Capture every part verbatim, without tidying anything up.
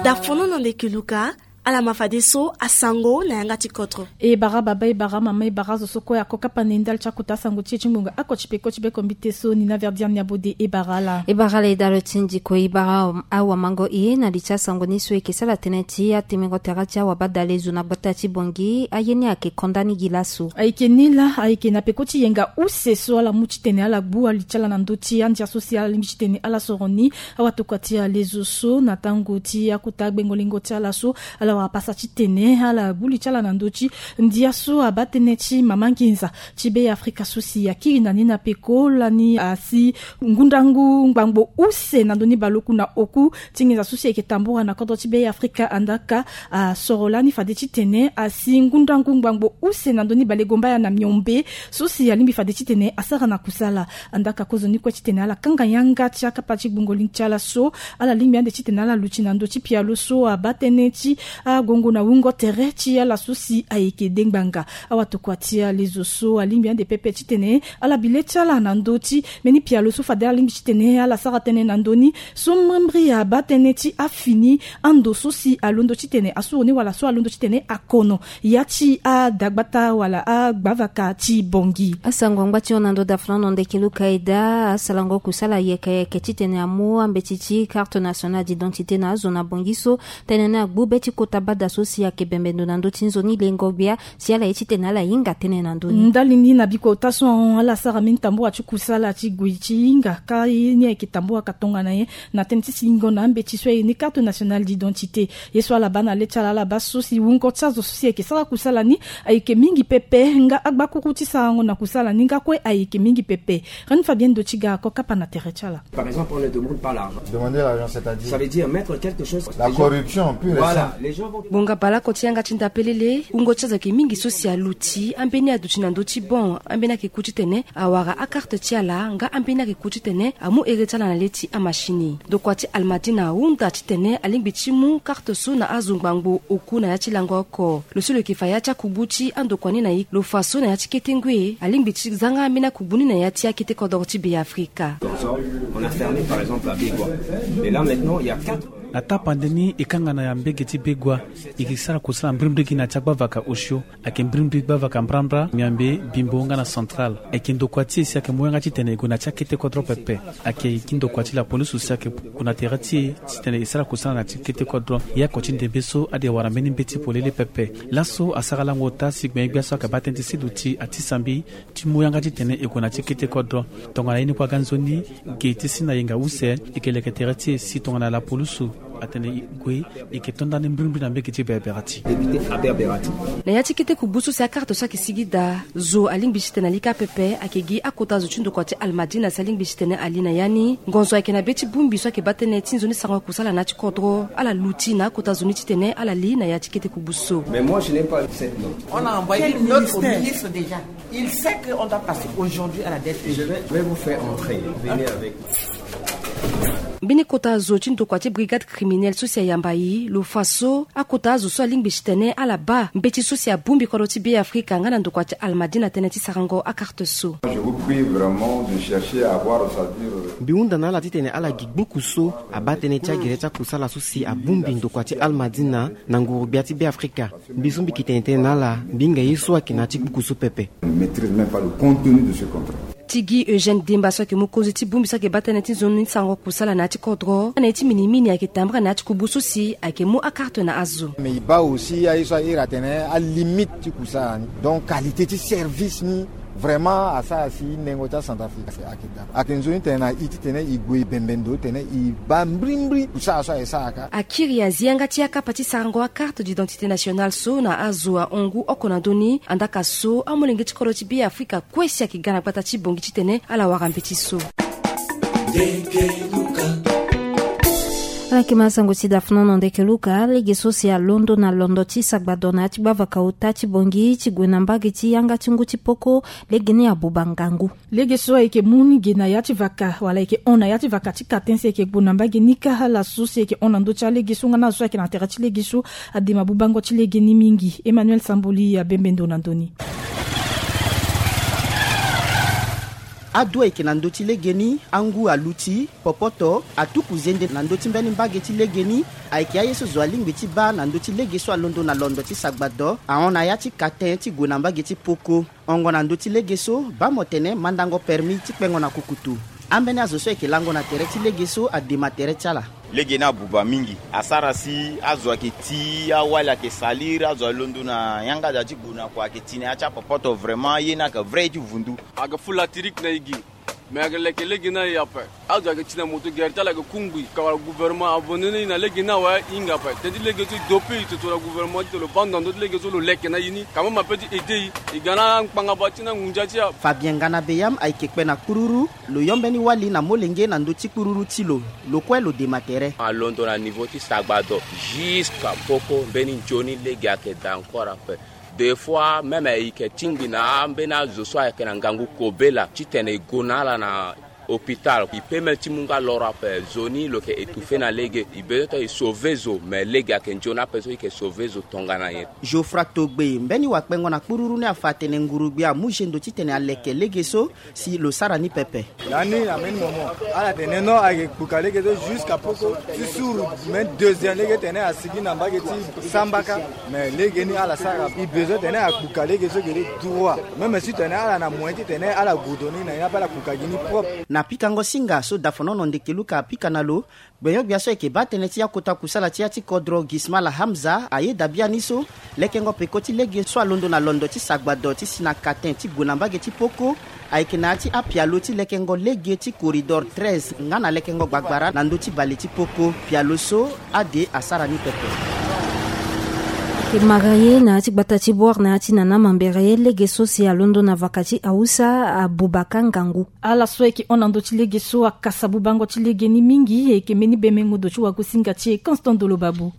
Dafono na ndeke luka. Ala ma fadeso asango na yanga ti kodro. E bara baba, e bara mama, e bara zo so kue ako kapa na e ndali ti akota sango ti e ti ngbonga ako ti peko ti beko mbite so ni na verdian ni abode. E bara ala. E bara ala e dalo ti ndiko, e bara awamango e na li ti asango ni so e yeke sala tënë ti atemengo tere ti awabadale zo na gbata ti Bongi aye ni ayeke konda ni gi laso. Ayeke ni laa ayeke na peko ti yenga use so ala mu titene ala gbu ali ti ala na ndö ti andia so si ala lingbi titene ala soro ni. Awatokua ti ale zo so na tango ti akota gbengo-lingo ti ala so ala wara pasa titene ala gbu li ti ala na ndö ti ndia so abaa tënë ti mama nginza ti be afrika so si akiri na ni na peko lani asi ngundangu ngbangbo use na ndö ni baleoku na oku ti nginza so si ayeke tambura na kodro ti be afrika. Andaka asoro lani fade titene asi ngundangu ngbangbo use na ndö ni balegomba ya na miombe so si alingbi fade titene asara na kusala. Andaka kozoni kue titene ala kanga yanga ti akapa ti gbungo lingbi ti ala so ala lingbi ande titene ala luti na ndö ti pialo so abaa tënë ti agongo na wungo tere ti ala so si ayeke dengbanga. Awatokua ti ale zo so alingbi ande pepe titene ala bi le ti ala na ndö ti mbeni pialo so fade ala lingbi titene ala sara tënë na ndö ni so mbrimbri abaa tënë ti afini ando so si alondo titene asuru ni wala so alondo titene akono ya ti adagbata wala agbavaka ti Bongi. Asango angba ti hon na ndo dafulano ndeke luka eda asalango kusala yeke yeke titene amu ambeti ti carte nationale d'identité na azo na Bongi so tënë ni agbu be ti kota bada so si ayeke bembe ndo na ndö ti nzoni lengo-gbia si ala ye titene ala hinga tënë na ndö ni. Ndali ni na bikota so ahon ala sara mbeni tambura ti kusala ti gue ti hinga ka ye ni ayeke tamburaka tongana nyen na tënë ti singo na ambeti so aye ni carte nationale d'identité. Ye so ala baa na le ti ala ala baa so si wungo ti azo so si ayeke sara kusala ni ayeke mingi pepe nga agbakuru ti sarango na kusala ni nga kue ayeke mingi pepe. Reine Fabienne Dotiga ako kapa na tere ti ala. Par exemple, on ne demande pas l'argent. Demander l'argent, c'est-à-dire? Ça veut dire mettre quelque chose. La corruption pure et simple. Voilà, les gens vont. Bonga baleoko ti yanga ti ndapelele wungo ti azo ayeke mingi so si aluti ambeni aduti na ndö ti bon ambeni ayeke ku titene awara akarte ti ala nga ambeni ayeke ku titene amu ere ti ala na le ti amashini. Ndokua ti Almadina ahunda titene alingbi ti mu karte so na azo ngbangbo oku na ya ti lango oko. Lo so lo yeke fa ya ti akubu ti andokua ni na ye lo fa so na ya ti kete ngoi alingbi ti zanga ambeni akubu ni na ya ti akete kodoro ti Beafrika. On a fermé par exemple à Begua. Et là maintenant il y a quatre. Na tapande ni e kanga na ya mbege ti Begua. E yeke sara kusala mbrimbri gi na ya ti agbavaka osio. Ayeke mbrimbri gbavaka mbrambra miambe bimbo nga na central. Ayeke ndokua ti e si ayeke mu yanga titene e gue na ya ti akete kodro pepe. Ayeke gi ndokua ti lapolisu si ayeke gue na tere ti e titene e sara kusala na ya ti kete kodro. E oko ti ndembe so ade wara mbeni mbeti polele pepe. Laso asara lango ota si gbenyo-gbia so ayeke baa tënë ti seduti atisa mbi ti mu yanga titene e gue na ya ti kete kodro. Tongana ye ni kue aga nzoni ge ti si na yenga use. E yeke leke tere ti e si tongana lapolisu atene e gue. E yeke to ndani mbrimbri na mbege ti Beberati. Na ya ti kete kubu so si akarte so ayeke sigi daa zo alingbi titene ali kâ pepe ayeke gi akota zo ti ndokua ti Almadina si alingbi titene ali na ya ni. Ngonzo ayeke na be ti bongbi so ayeke baa tënë ti nzoni sarango kusala na ya ti kodro ala luti na akota zo ni titene ala li na ya ti kete kubu so. Mais moi je n'ai pas cette note. On a envoyé une note au ministre déjà. Il sait qu'on doit passer aujourd'hui à la D S P. Je vais, je vais vous faire entrer. Venez avec moi. Mbeni kota zo ti ndokua ti brigade criminelle so si ayamba e lo fa so akota azo so alingbi titene ala baa mbeti so si abongbi kodro ti Beafrika nga na ndokua ti Almadina tënë ti sarango akarte so. Je vous prie vraiment de chercher à voir, c'est-à-dire. Mbi hunda na ala titene ala gi gbuku so abaa tënë ti agere ti akusala so si abongbi ndokua ti Almadina na nguru-gbia ti Beafrika. Mbi so mbi yeke tene tënë na ala mbi hinga ye so ayeke na ya ti gbuku so pepe. Ne maîtrise même pas le contenu de ce contrat. Ti gi Eugène Demba so ayeke mu konzi ti bongbi so ayeke baa tënë ti nzoni sarango kusala na ya ti kodro na ye ti minimini ayeke tambara na ya ti kubu so si ayeke mu akarte na azo. Mais e baa aussi aye so a iri atene alimite ti kusala ni donc qualité ti service ni vraiment asara si nengo ti acentrafrique ayeke daa. Ayeke nzoni tene na e titene e gue e bembe ndo titene e baa mbrimbri kusala so aye sara kâ. Akiri azi yanga ti akapa ti sarango akarte d'identité nationale so na azo ahon ngu oko na ndö ni. Andaka so amolenge ti kodro ti Beafrika kue si ayeke ga na gbata ti Bongi titene ala wara mbeti so. Ala yeke ma sango ti dafnono ndeke luka lege so si alondo na londo ti sagbado na ya ti gbavaka ota ti Bongi ti gue na mbage ti yanga ti ngu ti poko. Lege ni abuba ngangu. Lege so ayeke mu ni ge na ya ti vaka wala ayeke hon na ya ti vaka ti katen si ayeke gbu na mbage ni kâ ala so si ayeke hon na ndö ti alege so nga na azo so ayeke na tere ti lege so. Adema bubango ti lege ni mingi. Emmanuel Samboli abembe ndo na ndö ni. Adu ayeke na ndö ti legeni angu aluti popoto atuku zende na ndö ti mbeni mbage ti legeni. Ayeke aye so zo alingbi ti baa na ndö ti lege so alondo na londo ti sagbado ahon na ya ti katen ti gue na mbage ti poko. Hongo na ndö ti lege so baa mo tene mandango permis ti kpengo na kukutu. Ambeni azo so ayeke lango na tere ti lege so adema tere ti ala. Lege ni abuba mingi, asara si azo ayeke ti awali ayeke salire, azo alondo na yanga da ti gue na kua ayeke ti na ya ti apopoto. Vraiment ye ni ayeke vrai ye ti vundu. Ayeke fu latirike na e gi. Me ayeke leke lege ni aye ape. Azo ayeke ti na moto gere ti ala ayeke kungbi ka wala gouvernement abandonne e na lege ni awe e hinga ape. Tënë ti lege so e dope e toto na gouvernement ti tene lo baa ndo na ndö ti lege so lo leke na e ni ka même ape ti aide e. E ga na angbangbanga ti na ngunza ti e. Fabien Ngana Beyam ayeke kpe na kpururu. Lo yo mbeni wali na molenge na ndö ti kpururu ti lo. Lo kue lo dema tere. Alondo na niveau ti sagbado jusqu'à poko mbeni nzoni lege ayeke daa encore ape. Des fois même e yeke tingbi na ambeni azo so ayeke na ngangu kobela titene e gue na ala na hôpital. E peut même ti mu nga loro ape. Zo ni lo yeke étouffé na lege. E besoin ti e sauver zo, mais lege ayeke nzoni ape so e yeke sauver zo tongana nyen? Geoffroy Togbe mbeni wakpengo na kpururu ni afa atene ngurugbi amu zendo titene aleke lege so si lo sara ni pepe. Lani na mbeni moment ala tene non ayeke kpuka lege so jusqu'à poko ti suru. Mais deuxième lege tene asigi na mbage ti sambaka. Mais lege ni ala sara e besoin tene akpuka lege so gere droit. Même si tene ala na moyen ti tene ala goudoni na ye ni ape ala kpuka gi ni propre. Na pikango singa so dafonono ndeke luka apika na lo, gbenyo-gbia so ayeke baa tënë ti akota kusala ti ya ti kodro Gismala Hamza ayeda biani so lekengo peko ti lege so alondo na londo ti sagbado ti si na katen ti gue na mbage ti poko. Ayeke na ya ti apialo ti lekengo lege ti corridor treize nga na lekengo gbagbara na ndö ti bale ti poko. Pialo so ade asara ni pepe. Ayeke maria ye na ya ti gbata ti boire na ya ti nana mambere lege so si alondo na vaka ti hausa abuba ka ngangu. Ala so ayeke hon na ndö ti lege so akasa bubango ti lege ni mingi. Ayeke mbeni bemengo ndo ti wagosinga ti e Constant Dolo Babou.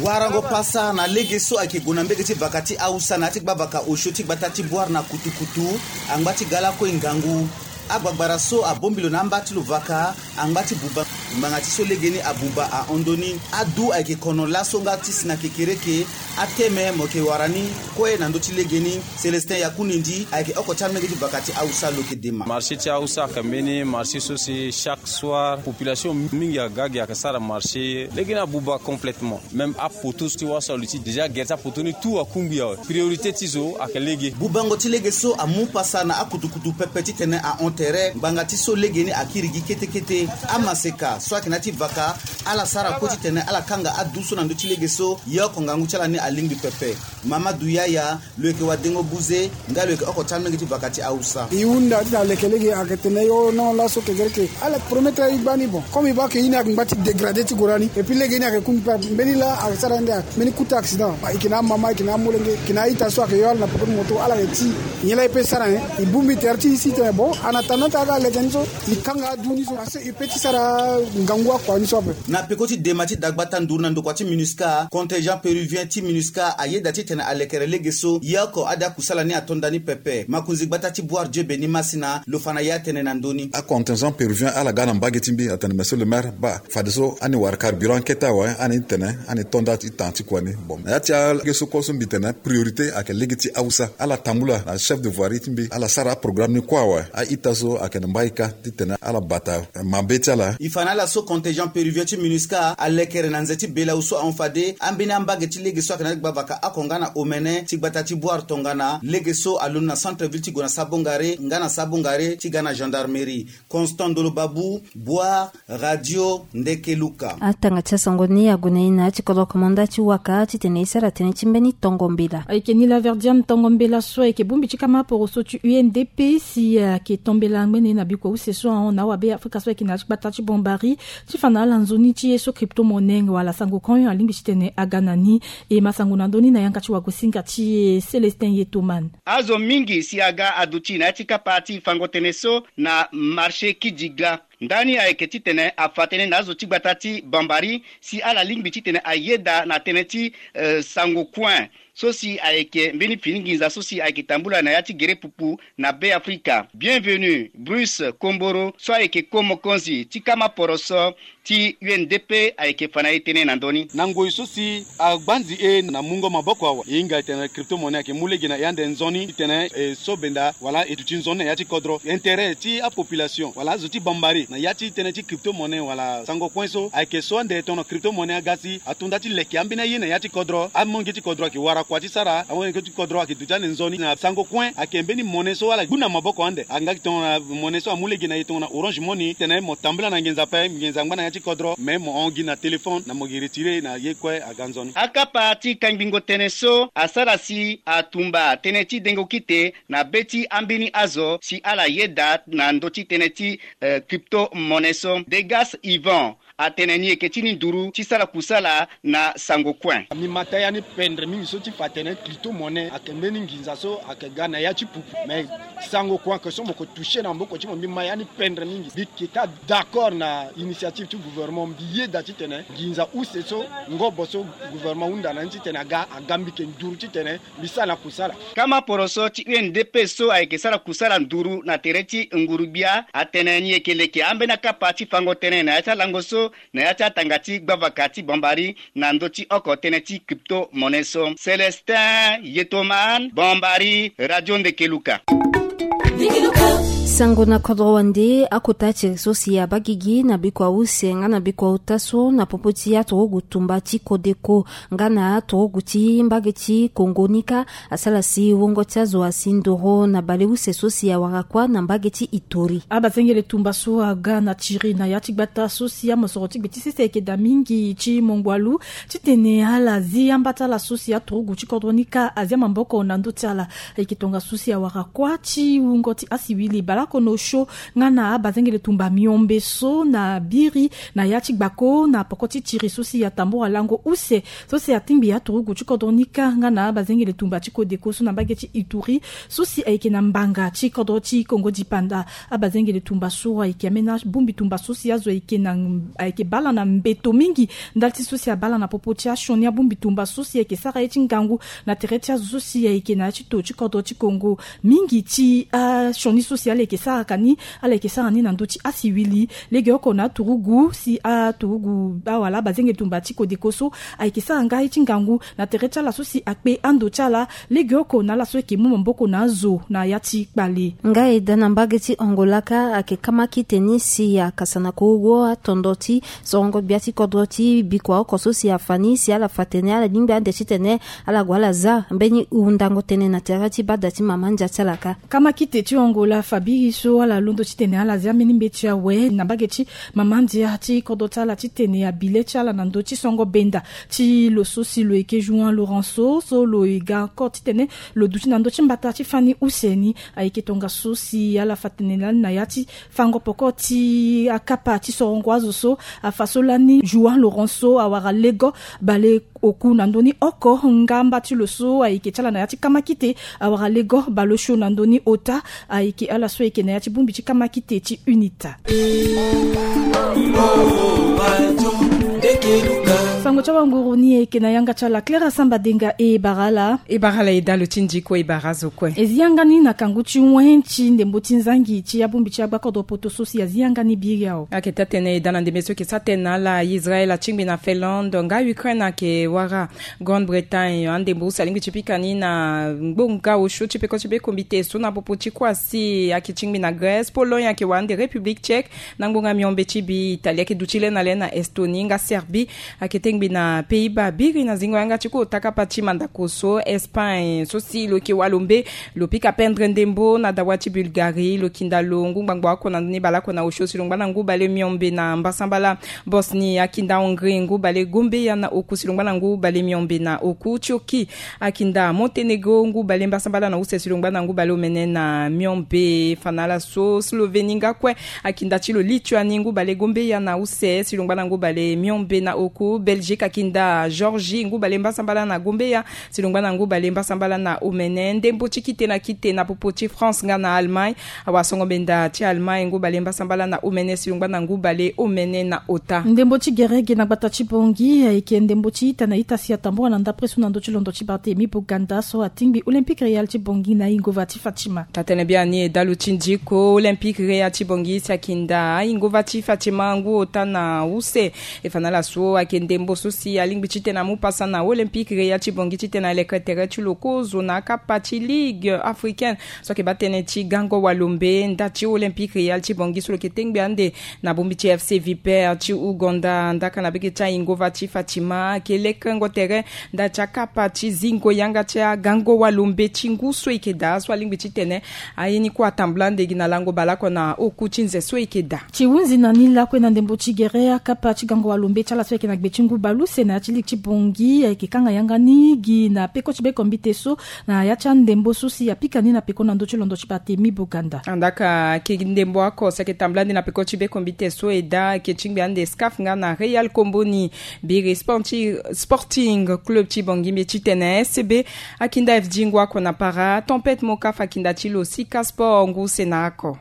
Warango pasa na lege so ayeke gue na mbege ti vaka ti hausa na ya ti gbavaka osio ti gbata ti boire na kutukutu. Angba ti ga lakue ngangu. Agbagbara so abongbi lo na amba ti lo vaka angba ti buba. Ngbanga ti so lege ni abuba ahon ndoni. Adu ayeke kono laso nga ti si na kekereke. Ateme mo yeke wara ni kue na ndö ti lege ni. Célestin Yakundi ndi ayeke oko ti amenge ti vaka ti hausa lo yeke dema. Marché ti hausa ayeke mbeni marché so si chaque soir population mingi aga gi ayeke sara marché. Lege ni abuba complètement. Même apoto so ti wasa lo ti déjà gere ti apoto ni tout akungbi awe. Priorité ti zo ayeke lege. Bubango ti lege so amu pasa na akutukutu pepe titene ahon tere ngbanga ti so lege ni akiri gi kete kete. Amaseka so ayeke na ya ti vaka ala sara kue titene ala kanga adu so na ndö ti lege so. Ye oko ngangu ti ala ni alingbi pepe. Mamadu Yaya lo yeke wadengo buze nga lo yeke oko ti amenge ti vaka ti hausa. E hunda ti na leke lege ayeke tene yo non laso kekereke. Ala promettre e gbani bon comme e baa ke e ni ayeke ngba ti dégradé ti gora ni. Et puis lege ni ayeke kungbi pe mbeni laa ayeke sara nde mbeni kuta accident. E yeke na amama e yeke na amolenge e yeke na a-ita so ayeke yo ala na peko ti moto ala yeke ti nyen laa e peut sara nyen? E bongbi tere ti e si tene bon en attendant ti aga leke ni so e kanga adu ni so parce que e peut ti sara ngangu akua ni so ape. Na peko ti dema ti dagbata nduru na ndokua ti minusca, contingent péruvien ti minusca ayeda titene alekere lege so. Ye oko ade akusala ni ato nda ni pepe. Makonzi gbata ti boire dieu beni masina lo fa na ye atene na ndö ni. Acontingent péruvien ala ga na mbage ti mbi atene monsieur le maire baa fadeso ani wara carburant kete awe ani tene ani to nda ti tan ti kua ni. Bon na ya ti alege so kue so mbi tene priorité ayeke lege ti hausa ala tambula na chef de voirie ti mbi ala sara aprogramme ni kue awe. A-ita so ayeke na mbai kâ titene ala bata mabe ti ala. E fa na ala so contingent péruvien ti minusca alekere na nze ti belau so ahon fade ambeni ambage ti lege so ayeke na ya ti gbavaka oko nga na omene ti gbata ti boire tongana lege so alondo na centre ville ti gue na sabongare nga na sabongare ti ga na gendarmerie. Constant Ndolo Babou, Boire, Radio Ndeke Luka. Atanga ti asango ni ague na e na ya ti kodro komanda ti waka titene e sara tënë ti mbeni tongo mbela. Ayeke ni laverdiam tongo mbela so ayeke bongbi ti kama poroso ti U N D P si ayeke to mbela ngbene na bikua use so ahon na awabe afrika so ayeke na ya ti gbata ti bombari ti fa na ala nzoni ti ye so crypto-monnaie wala sango coin alingbi titene aga na ni. E masango na ndö ni na yanga ti wagosinga ti e Célestin Yetoman. Azo mingi si aga aduti na ya ti kapa ti fango tënë so na marché Kidjigla. Ndani ayeke titene afa tënë na azo ti gbata ti Bambari si ala lingbi titene ayeda na tënë ti eh, sango kue so si ayeke mbeni fini nginza so si ayeke tambula na ya ti gere pupu na Be Afrika. Bienvenu Bruce Komboro so ayeke ko mokonzi ti kama poroso ti U N D P ayeke fa na ye tënë na ndö ni. Na ngoi so si agbanzi e na mungo maboko awe, e hinga e tene crypto-monnaie ayeke mu lege na e ande nzoni titene e so benda wala e duti nzoni na ya ti kodro. Intérêt ti apopulation wala azo ti Bambari na ya ti tënë ti crypto-monnaie wala sango kue so ayeke so ande tongana crypto-monnaie aga si ato nda ti leke ambeni aye na ya ti kodro. Amolenge ti kodro ayeke wara kua ti sara, amolenge ti kodro ayeke duti ande nzoni na sango kue ayeke mbeni monnaie so ala gbu na maboko ande. Angaki tongana monnaie so amu lege na e tongana Orange Money titene mo tambula na nginza ape, nginza angba na ya ti kodro, me mo hon gi na téléphone na mo gi retire na ye kue aga nzoni. Akapa ti kangbingo tënë so asara si atumba tënë ti dengo kite na be ti ambeni azo si ala yeda na ndö ti tënë ti eh, crypto-monnaie so. Degas Yvan atene ni yeke ti ni nduru ti sara kusala na sango kue. Mbi ma taa ya ni pendre mingi so ti fa atene crypto-monnaie ayeke mbeni nginza so ayeke ga na ya ti pupu, me sango kue ayeke so mo yeke toucher na maboko ti mo. Mbi ma ya ni pendre mingi. Mbi yeke taa d'accord na initiative ti gouvernement. Mbi yeda titene nginza use so ngobo so gouvernement ahunda na ni titene aga, aga mbi yeke nduru titene mbi sara na kusala. Kama poroso ti U N D P so ayeke sara kusala nduru na tere ti nguru-gbia atene ni yeke leke ambeni akapa ti fango tënë na ya ti alango so na ya ti atanga ti gbavaka ti Bambari na ndö ti oko tënë ti crypto-monnaie so. Célestin Yetoman, Bambari, Radio Ndekeluka. Sango na kodro wande akota ti iri so si abaa gigi na bikua use nga na bikua ota so na popo ti aturugu tumba ti kodeko nga na aturugu ti mbage ti Kongo ni kâ asara si wungo ti azo asi ndoro na baleuse so si awara kuâ na mbage ti Ituri. Abazengele tumba so aga na tiri na ya ti gbata so si amosoro ti gbe ti sese ayeke daa mingi ti mongwalu titene ala zi amba ti ala so si aturugu ti kodro ni kâ azi amaboko na ndö ti ala. Ayeke tongana so si awara kuâ ti wungo ti asiwili baleoko na osio nga na abazengele tumba miombe so na biri na ya ti gbako na poko ti tiri so si atambura lango use so si atingbi aturugu ti kodro ni kâ nga na abazengele tumba ti kodeko so na mbage ti Ituri so si ayeke na mbanga ti kodro ti Kongo dipanda. Abazengele tumba so ayeke ambeni abongbi tumba so si azo ayeke na, ayeke baa ala na mbeto mingi ndali ti so si abaa ala na popo ti asioni abongbi tumba so si ayeke sara ye ti ngangu na tere ti azo so si ayeke na ya ti to ti kodro ti Kongo. Mingi ti asioni so si ala yeke sara ka ni, ala yeke sara ni na ndö ti asiwili legeoko na aturugu si aturugu awala abazengele tumba ti kodeko so ayeke sara nga ye ti ngangu na tere ti ala so si akpe ando ti ala legeoko na ala so ayeke mu maboko na azo na ya ti kpale. Nga e daa na mbage ti Angola kâ ayeke kamakite ni si akasa na kurugu atondo ti sorongo gbia ti kodro ti bikua oko so si afa ni si ala fa tene ala lingbi ande titene ala gue ala za mbeni hundango tënë na tere ti bada ti mama ndia ti ala kâ. Kamakite ti Angola fa biri so ala londo titene ala zia mbeni mbeti awe na mbage ti mama ndia ti kodro ti ala titene abi le ti ala na ndö ti songo benda ti lo so si lo yeke João Lourenço so lo ye ga encore titene lo duti na ndö ti mbata ti fani use ni. Ayeke tongaso si ala fa tene lani na ya ti fango poko ti akapa ti sorongo azo so afa so lani João Lourenço awara lego bale oku na ndö ni oko ngamba ti lo so ayeke ti ala na ya ti kamakite awara lego bale osio na ndö ni ota. Ayeke ala so ayeke na ya ti bongbi ti kamakite ti UNITA. Sango ti awanguru ni ayeke na yanga ti ala Clara Samba Denga. E bara ala. E bara ala e dalo ti ndi kue e bara azo kue. E zi yanga ni na kangu ti wen ti ndembo ti nzangi ti abongbi ti agbakodro poto so si azi yanga ni biri awe. Ayeke taa-tënë e daa na ndembe so ayeke sara tënë na ala Israël atingbi na Finlande nga Ukraine ayeke wara Grande-Bretagne. Andembo use alingbi ti pika ni na ngbonga osio ti peko ti be kombite so na popo ti kuâ si ayeke tingbi na Grèce, Pologne ayeke wara ande République Tchèque, na ngbonga miombe ti bi Italie ayeke duti le na le na Estonie nga Serbie ayeke tengbi na Pays-Bas. Biri na zingo yanga ti kota kapa ti mandako so Espagne so si lo yeke walo mbe lo pika pendre ndembo na dawa ti Bulgarie, lo kinda lo ngu ngbangbo oko na ndoni baleoko na osio si lo ngba na ngu bale miombe na mbasambala. Bosnie akinda Hongrie ngu bale gombeya na oku si lo ngba na ngu bale miombe na oku. Turquie akinda Monténégro ngu bale mbasambala na use si lo ngba na ngu bale omene na miombe. Fa na ala so Slovénie nga kue akinda ti lo Lituanie ngu bale gombeya na use si lo ngba na ngu bale miombe na oku. Belgique Ti kakinda Georgie ngu bale mbasambala na gombeya, si longba na ngu bale mbasambala na omene. Ndembo ti kite na kite na popo ti France nga na Allemagne. Awasongo benda ti Allemagne ngu bale mbasambala na omene si longba na ngu bale omene na ota. Ndembo ti gerege na gbata ti bongi ayeke ndembo ti ita na ita si atambua na ndapre so na ndö ti londo ti Barthélemy Boganda so atingbi Olympique Real ti bongi na ingova ti Fatima. Tatene biani e dalu ti ndiko Olympique Real ti bongi si akinda ingova ti Fatima ngu ota na use. E fa na ala so ayeke ndembo so si alingbi titene amu pasa na Olympique Real ti bongi titene aleke tere ti lo kozo na akapa ti Ligue africaine so ayeke baa tënë ti gango walombe nda ti Olympique Real ti bongi so lo yeke tengbi ande na bongbi ti FC Vipers ti Ouganda. Ndaka na beke ti aingova ti Fatima ayeke lekengo tere nda ti akapa ti zingo yanga ti agango walombe ti ngu so e yeke daa so alingbi titene aye ni kue atambula ande gi na lango baleoko na oku ti nze so e yeke daa. Ti hunzi na ni lakue na ndembo ti gere akapa ti gango walombe ti ala so ayeke na gbe ti ngu baleuse na ya ti ligue ti bongi ayeke kanga yanga ni gi na peko ti bekombite so na ya ti andembo so si apika ni na peko na ndö ti londo ti Barthélemy Boganda. Andaka ayeke ndembo oko si ayeke tambula ande na peko ti bekombite so e daa ayeke tingbi ande SCAF nga na Real Komboni. Biri Sporti-, Sporting Club ti bongi mbi titene SCB akinda F D ngu oko na para. Tempête Moka fa akinda ti lo Sika Sport ngu use na oko.